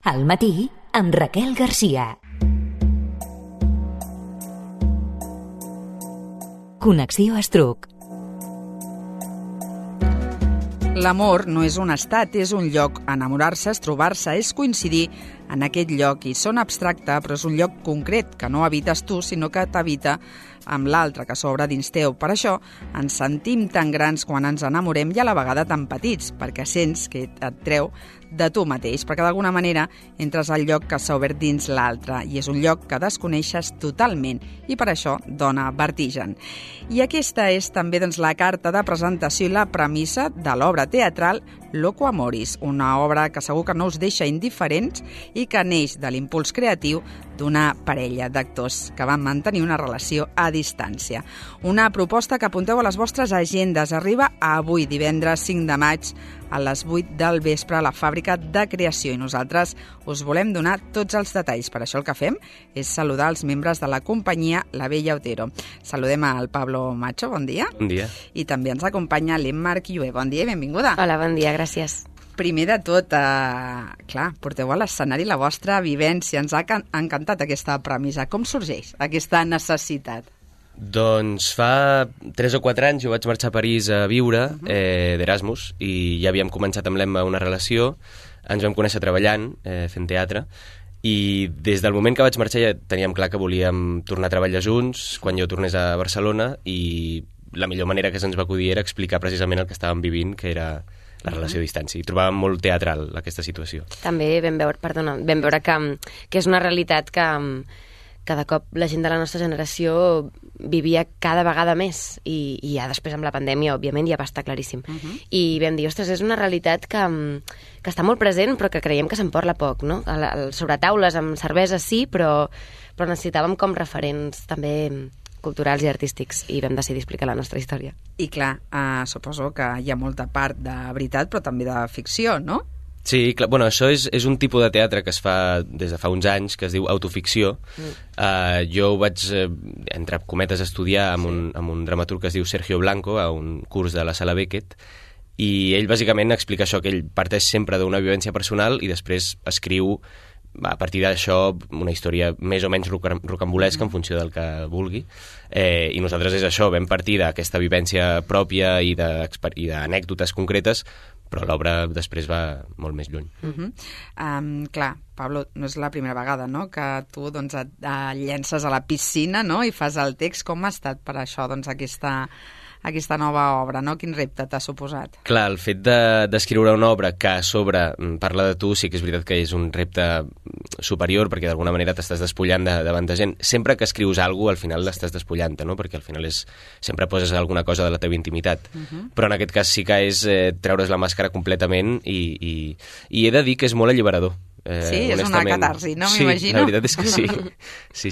Al matí, amb Raquel Garcia. Connexió Estruc. L'amor no és un estat, és un lloc. Enamorar-se és trobar-se, és coincidir en aquest lloc. I sona abstracte, però és un lloc concret, que no habites tu, sinó que t'habita amb l'altre, que s'obre dins teu. Per això ens sentim tan grans quan ens enamorem i a la vegada tan petits, perquè sents que et treu de tu mateix, perquè d'alguna manera entres al lloc que s'ha obert dins l'altre i és un lloc que desconeixes totalment i per això dona vertigen. I aquesta és també la carta de presentació i la premissa de l'obra teatral Loco Amoris, una obra que segur que no us deixa indiferents i que neix de l'impuls creatiu d'una parella d'actors que van mantenir una relació a distància. Una proposta que apunteu a les vostres agendes. Arriba avui, divendres 5 de maig, a les 8 del vespre a la Fàbrica de Creació i nosaltres us volem donar tots els detalls. Per això el que fem és saludar els membres de la companyia La Bella Otero. Saludem al Pablo Macho, bon dia. Bon dia. I també ens acompanya l'Emma Arquiué. Bon dia i benvinguda. Hola, bon dia, gràcies. Primer de tot, clar, porteu a l'escenari la vostra vivència. Ens ha encantat aquesta premissa. Com sorgeix aquesta necessitat? Doncs fa 3 o 4 anys jo vaig marxar a París a viure d'Erasmus i ja havíem començat amb l'Emma una relació, ens vam conèixer treballant, fent teatre, i des del moment que vaig marxar ja teníem clar que volíem tornar a treballar junts quan jo tornés a Barcelona i la millor manera que se'ns va acudir era explicar precisament el que estàvem vivint, que era la relació a distància. I trobàvem molt teatral aquesta situació. També vam veure que és una realitat que de cop la gent de la nostra generació vivia cada vegada més i ja després amb la pandèmia, òbviament, ja va estar claríssim. I vam dir, ostres, és una realitat que està molt present però que creiem que se'n parla poc, no? Sobre taules, amb cervesa sí, però necessitàvem com referents també culturals i artístics i vam decidir explicar la nostra història. I clar, suposo que hi ha molta part de veritat però també de ficció, no? Sí, clar, bueno, això és un tipus de teatre que es fa des de fa uns anys, que es diu autoficció. Jo vaig, entre cometes, estudiar amb un dramaturg que es diu Sergio Blanco, a un curs de la Sala Beckett, i ell bàsicament explica això, que ell parteix sempre d'una vivència personal i després escriu a partir d'això una història més o menys rocambolesca en funció del que vulgui. I nosaltres és això, vam partir d'aquesta vivència pròpia i d'anècdotes concretes, però l'obra després va molt més lluny. Clar, Pablo, no és la primera vegada, no?, que tu et llences a la piscina, no?, i fas el text. Com ha estat per això aquesta nova obra, no? Quin repte t'ha suposat? Clar, el fet d'escriure una obra que a sobre parla de tu sí que és veritat que és un repte superior perquè d'alguna manera t'estàs despullant davant de gent. Sempre que escrius alguna cosa al final l'estàs despullant, no? Perquè al final sempre poses alguna cosa de la teva intimitat. Però en aquest cas sí que és treure's la màscara completament i he de dir que és molt alliberador. Sí, és una catarsi, no? Sí, m'imagino. la veritat és que sí.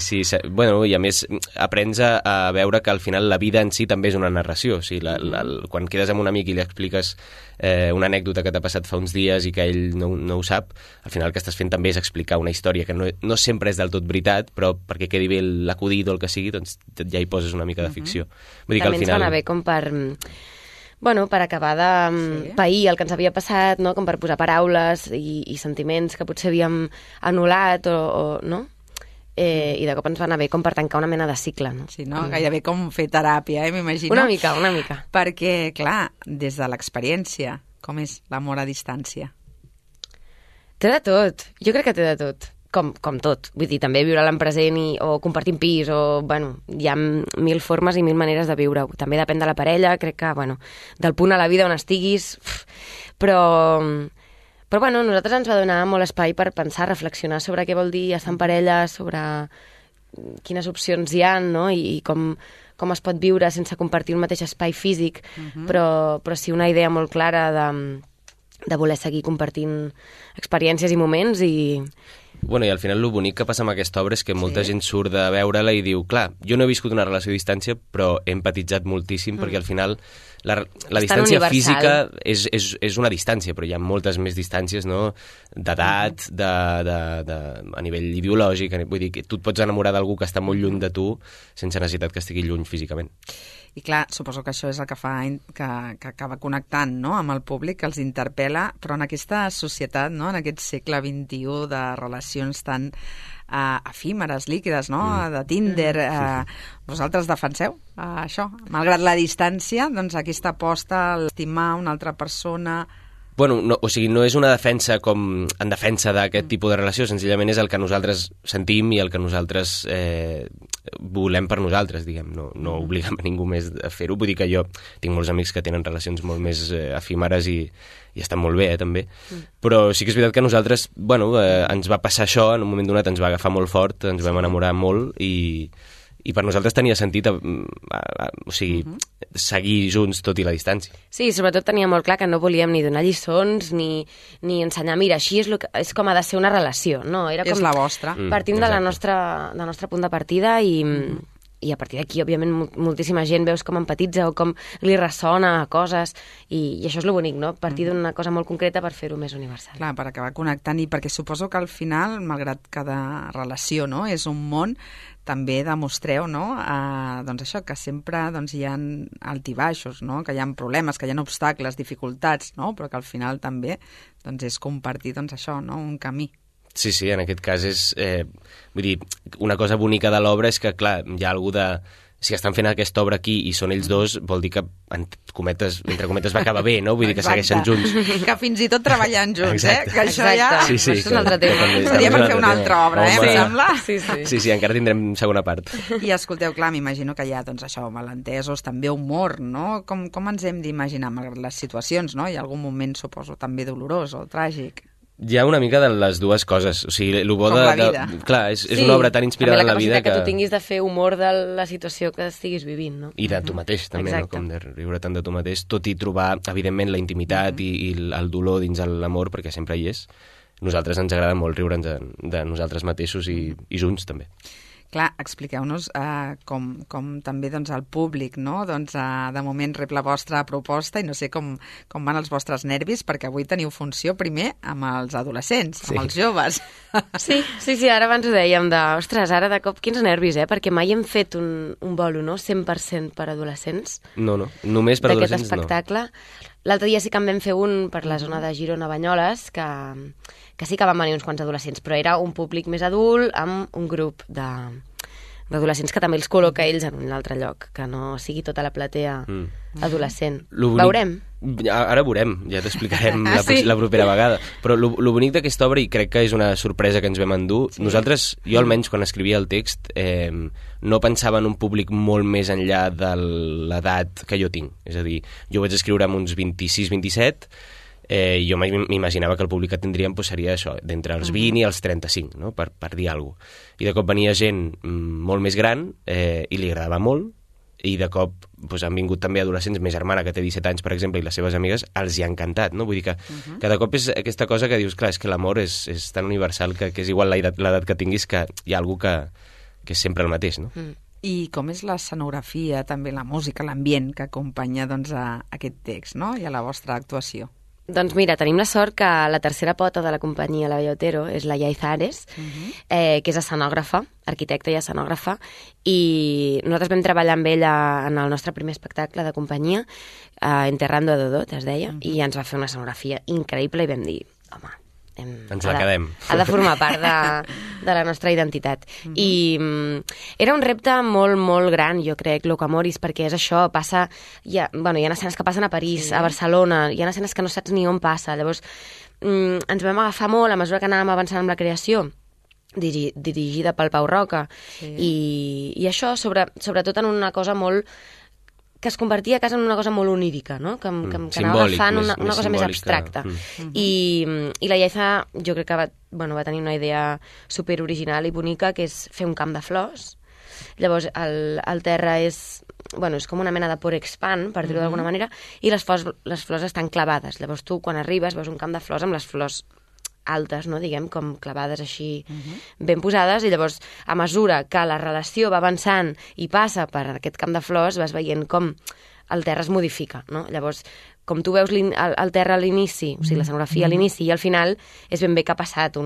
Sí. Bueno, i a més aprens a veure que al final la vida en si també és una narració. O sigui, quan quedes amb un amic i li expliques una anècdota que t'ha passat fa uns dies i que ell no ho sap, al final el que estàs fent també és explicar una història que no sempre és del tot veritat, però perquè quedi bé l'acudit o el que sigui, doncs ja hi poses una mica de ficció. Vull dir que al final ens va anar bé com per acabar de pair el que ens havia passat, no? Com per posar paraules i sentiments que potser havíem anul·lat no? I de cop ens va anar bé com per tancar una mena de cicle, no? Sí, no? Gairebé com fer teràpia, m'imagino. Una mica. Perquè, clar, des de l'experiència, com és l'amor a distància? Té de tot. Jo crec que té de tot. Com tot. Vull dir, també viure-la en present o compartir un pis, hi ha 1000 formes i 1000 maneres de viure-ho. També depèn de la parella, crec que, del punt a la vida on estiguis, però nosaltres ens va donar molt espai per pensar, reflexionar sobre què vol dir estar en parella, sobre quines opcions hi ha, no? I com es pot viure sense compartir un mateix espai físic, però sí una idea molt clara de voler seguir compartint experiències i moments Bueno, i al final el bonic que passa amb aquesta obra és que molta gent surt de veure-la i diu, clar, jo no he viscut una relació a distància, però he empatitzat moltíssim, perquè al final la distància física és una distància, però hi ha moltes més distàncies, no?, d'edat, a nivell ideològic, vull dir que tu et pots enamorar d'algú que està molt lluny de tu sense necessitat que estigui lluny físicament. I clar, suposo que això és el que fa que acaba connectant, no?, amb el públic, que els interpel·la, però en aquesta societat, no?, en aquest segle XXI de relacions tan efímeres, líquides, no?, de Tinder, vosaltres defenseu això? Malgrat la distància, doncs aquesta aposta a estimar una altra persona... Bueno, no, o sigui, no és una defensa com en defensa d'aquest tipus de relació, senzillament és el que nosaltres sentim i el que nosaltres volem per nosaltres, diguem. No obliguem a ningú més a fer-ho. Vull dir que jo tinc molts amics que tenen relacions molt més efímeres i estan molt bé, també. Però sí que és veritat que nosaltres, bueno, ens va passar això, en un moment donat ens va agafar molt fort, ens vam enamorar molt i per nosaltres tenia sentit o sigui, seguir junts tot i la distància. Sí, sobretot tenia molt clar que no volíem ni donar lliçons ni ensenyar, mira, així és com ha de ser una relació, no? Era com, és la vostra. Partim del nostre punt de partida i a partir d'aquí, òbviament, moltíssima gent veus com empatitza o com li ressona coses i això és lo bonic, no? Partir d'una cosa molt concreta per fer-ho més universal. Clar, per acabar connectant i perquè suposo que al final, malgrat cada relació, no?, és un món, també demostreu, no?, doncs això, que sempre doncs, hi ha altibaixos, no?, que hi ha problemes, que hi ha obstacles, dificultats, no?, però que al final també doncs, és compartir doncs, això, no?, un camí. Sí, en aquest cas és... vull dir, una cosa bonica de l'obra és que, clar, hi ha algú de... Si estan fent aquesta obra aquí i són ells dos, vol dir que, entre cometes, va acabar bé, no? Vull dir que segueixen junts. Que fins i tot treballant junts, que això ja... Sí, això és un altre tema. Seria per fer una altra obra, em sembla? Sí, encara tindrem segona part. I escolteu, clar, m'imagino que hi ha, doncs, això, malentesos, també humor, no? Com ens hem d'imaginar, malgrat les situacions, no? Hi ha algun moment, suposo, també dolorós o tràgic. Hi ha una mica de les dues coses. O sigui, el bo com la vida. Clar, és una obra tan inspirada en la vida que tu tinguis de fer humor de la situació que estiguis vivint, no? I de tu mateix, també, no? Com de riure tant de tu mateix, tot i trobar, evidentment, la intimitat i el dolor dins l'amor, perquè sempre hi és. Nosaltres ens agrada molt riure'ns de nosaltres mateixos i junts, també. Clar, expliqueu-nos com també doncs, el públic, no? Doncs, de moment rep la vostra proposta i no sé com van els vostres nervis, perquè avui teniu funció primer amb els adolescents, amb els joves. Sí, ara abans ho dèiem ostres, ara de cop quins nervis, perquè mai hem fet un bolo, no?, 100% per adolescents. No, només per adolescents no. D'aquest espectacle. L'altre dia sí que en vam fer un per la zona de Girona-Banyoles, que sí que van venir uns quants adolescents, però era un públic més adult amb un grup d'adolescents que també els col·loca ells en un altre lloc, que no sigui tota la platea adolescent. Veurem. Ara veurem, ja t'explicarem la propera vegada. Però lo bonic d'aquesta obra, i crec que és una sorpresa que ens vam endur, nosaltres, jo almenys quan escrivia el text, no pensava en un públic molt més enllà de l'edat que jo tinc. És a dir, jo vaig escriure amb uns 26-27, jo m'imaginava que el públic que tindríem seria això, d'entre els 20 i els 35, no? per dir alguna cosa. I de cop venia gent molt més gran i li agradava molt, i de cop han vingut també adolescents, més germana que té 17 anys, per exemple, i les seves amigues, els hi ha encantat, no? Vull dir que cada cop és aquesta cosa que dius, clar, és que l'amor és tan universal que és igual l'edat que tinguis, que hi ha algú que és sempre el mateix, no? I com és l'escenografia, també la música, l'ambient que acompanya doncs, a aquest text, no?, i a la vostra actuació? Doncs mira, tenim la sort que la tercera pota de la companyia La Bella Otero és la Yaiza Ares, que és escenògrafa, arquitecta i escenògrafa, i nosaltres vam treballar amb ella en el nostre primer espectacle de companyia, Enterrando a Dodot, es deia, i ens va fer una escenografia increïble i vam dir, home, ens la quedem. Ha de formar part de la nostra identitat. I era un repte molt, molt gran, jo crec, Locamoris, perquè és això, passa... hi ha escenes que passen a París, a Barcelona, hi ha escenes que no saps ni on passa. Llavors, ens vam agafar molt a mesura que anàvem avançant amb la creació, dirigida pel Pau Roca, i això, sobretot en una cosa molt... que es convertia a casa en una cosa molt onírica, no? Que anava agafant una cosa més abstracta. I la Yaiza, jo crec que va tenir una idea superoriginal i bonica, que és fer un camp de flors. Llavors, el terra és com una mena de porexpan, per dir-ho d'alguna manera, i les flors estan clavades. Llavors, tu, quan arribes, veus un camp de flors amb les flors altes, no? Diguem, com clavades així ben posades, i llavors, a mesura que la relació va avançant i passa per aquest camp de flors, vas veient com el terra es modifica, no? Llavors, com tu veus el terra a l'inici, o sigui, l'escenografia a l'inici i al final, és ben bé que ha passat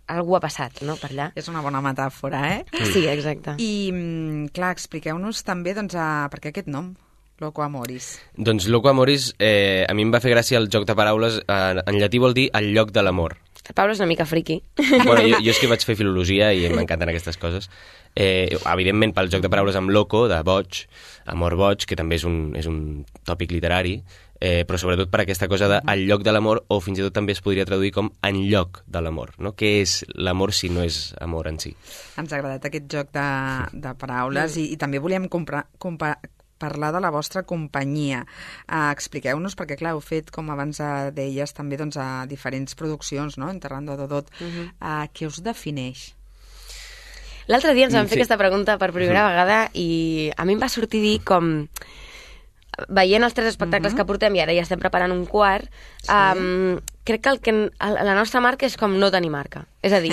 algú ha passat, no?, per allà. És una bona metàfora, Sí, exacte. I, clar, expliqueu-nos també, doncs, per què aquest nom, Loco Amoris? Doncs Loco Amoris, a mi em va fer gràcia el joc de paraules. En llatí vol dir el lloc de l'amor. El Pablo és una mica friqui. Bueno, jo és que vaig fer filologia i m'encanten aquestes coses. Evidentment, pel joc de paraules amb loco, de boig, amor boig, que també és un tòpic literari, però sobretot per aquesta cosa de el lloc de l'amor, o fins i tot també es podria traduir com en lloc de l'amor, no? Què és l'amor si no és amor en si? Ens ha agradat aquest joc de paraules i també volíem parlar de la vostra companyia. Expliqueu-nos, perquè clar, heu fet, com abans deies, també doncs, a diferents produccions, no?, Enterrando a Dodot. Què us defineix? L'altre dia ens van fer aquesta pregunta per primera vegada i a mi em va sortir dir com... Veient els 3 espectacles que portem i ara ja estem preparant un quart, crec que la nostra marca és com no tenir marca. És a dir,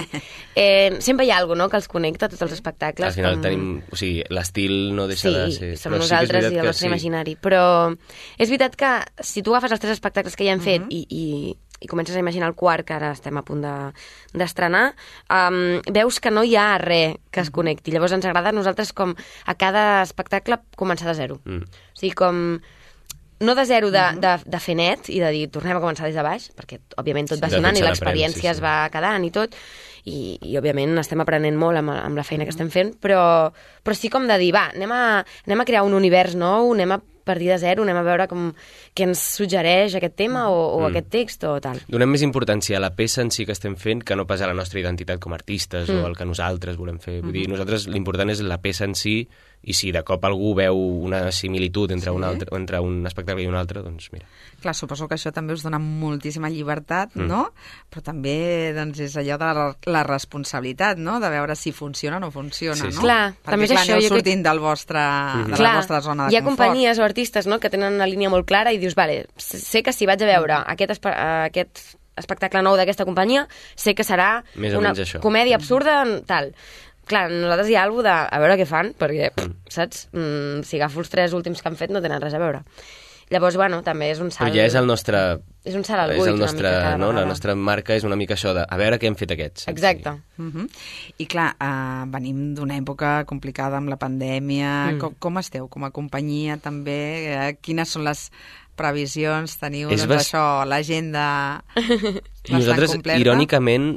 sempre hi ha alguna cosa, no?, que els connecta, tots els espectacles. Al final tenim... O sigui, l'estil no deixa de ser... Sí, som nosaltres i el nostre imaginari. Però és veritat que si tu agafes els 3 espectacles que ja hem fet i comences a imaginar el quart, que ara estem a punt d'estrenar, veus que no hi ha res que es connecti. Llavors ens agrada a nosaltres com a cada espectacle començar de zero. O sigui, com... No de zero de fer net i de dir tornem a començar des de baix, perquè òbviament tot va sonant i l'experiència es va quedant i tot, i òbviament estem aprenent molt amb la feina que estem fent, però sí com de dir, va, anem a crear un univers nou, anem a partir de zero, anem a veure què ens suggereix aquest tema o aquest text o tal. Donem més importància a la peça en si que estem fent que no pas a la nostra identitat com a artistes o el que nosaltres volem fer. Vull dir, nosaltres l'important és la peça en si, i si de cop algú veu una similitud entre un espectacle i un altre, doncs mira. Clar, suposo que això també us dona moltíssima llibertat, no? Però també doncs, és allò de la responsabilitat, no?, de veure si funciona o no funciona, no? Clar, perquè també és això. Aneu sortint de la vostra zona de confort. Hi ha companyies o artistes, no?, que tenen una línia molt clara i dius, vale, sé que si vaig a veure aquest espectacle nou d'aquesta companyia, sé que serà una comèdia absurda, tal. Clar, nosaltres hi ha alguna cosa a veure què fan, perquè, saps, si agafo els 3 últims que han fet no tenen res a veure. Llavors, bueno, també és un salt... Però ja és el nostre... És un salt al buit, una mica cada vegada. La nostra marca és una mica això de a veure què hem fet aquests. Exacte. I clar, venim d'una època complicada amb la pandèmia. Com esteu com a companyia també? Quines són les previsions? Teniu això, l'agenda nosaltres, completa? Irònicament,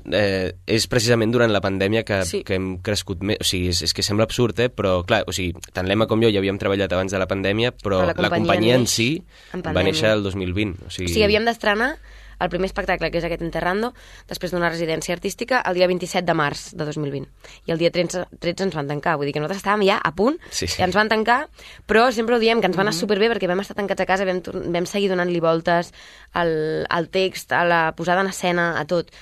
és precisament durant la pandèmia que hem crescut més. O sigui, és que sembla absurd, però clar, o sigui, tant l'Emma com jo ja havíem treballat abans de la pandèmia, però la companyia en si va néixer el 2020. O sigui, havíem d'estrenar el primer espectacle, que és aquest Enterrando, després d'una residència artística, el dia 27 de març de 2020. I el dia 13 ens van tancar. Vull dir que nosaltres estàvem ja a punt, i ens van tancar, però sempre ho diem, que ens va anar superbé perquè vam estar tancats a casa, vam seguir donant-li voltes al text, a la posada en escena, a tot.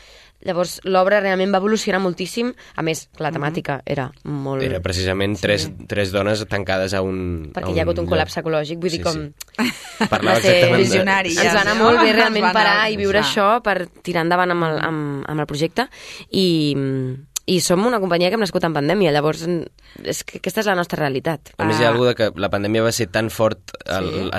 Llavors, l'obra realment va evolucionar moltíssim. A més, la temàtica era molt... Era precisament tres dones tancades a un... Perquè hi ha hagut un col·lapse ecològic, vull dir com... Parlava exactament visionari. Ens va anar molt bé realment parar i viure això per tirar endavant amb el projecte i som una companyia que hem nascut en pandèmia, llavors és que aquesta és la nostra realitat. A més, hi ha alguna que la pandèmia va ser tan fort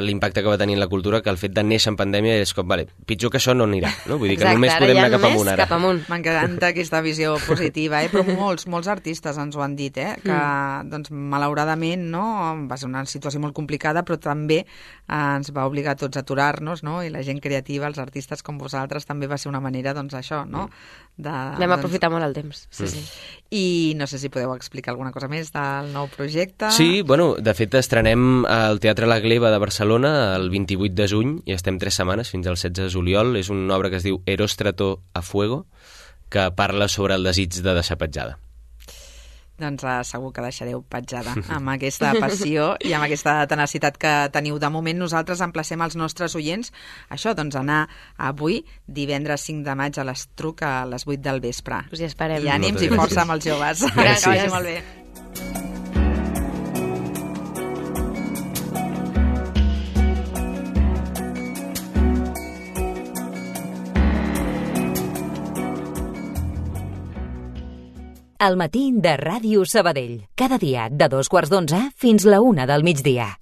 l'impacte que va tenir en la cultura que el fet de néixer en pandèmia és com, vale, pitjor que això no anirà, no? Vull dir que només podem anar cap amunt ara. M'encanta aquesta visió positiva, però molts artistes ens ho han dit, que doncs, malauradament no, va ser una situació molt complicada, però també ens va obligar a tots a aturar-nos, no? I la gent creativa, els artistes com vosaltres, també va ser una manera, doncs, això, no? Vam aprofitar molt el temps, sí. I no sé si podeu explicar alguna cosa més del nou projecte. Sí, bueno, de fet estrenem al Teatre La Gleva de Barcelona el 28 de juny i estem 3 setmanes fins al 16 de juliol. És una obra que es diu Eróstrato a Fuego, que parla sobre el desig de deixar petjada. Doncs segur que deixareu petjada amb aquesta passió i amb aquesta tenacitat que teniu. De moment nosaltres emplacem els nostres oients això, doncs anar avui, divendres 5 de maig a l'Estruc a les 8 del vespre. Us hi esperem. I ànims i força amb els joves. Gràcies. Que vagi molt bé. Al matí de Ràdio Sabadell. Cada dia de 2:15 fins la 1 del migdia.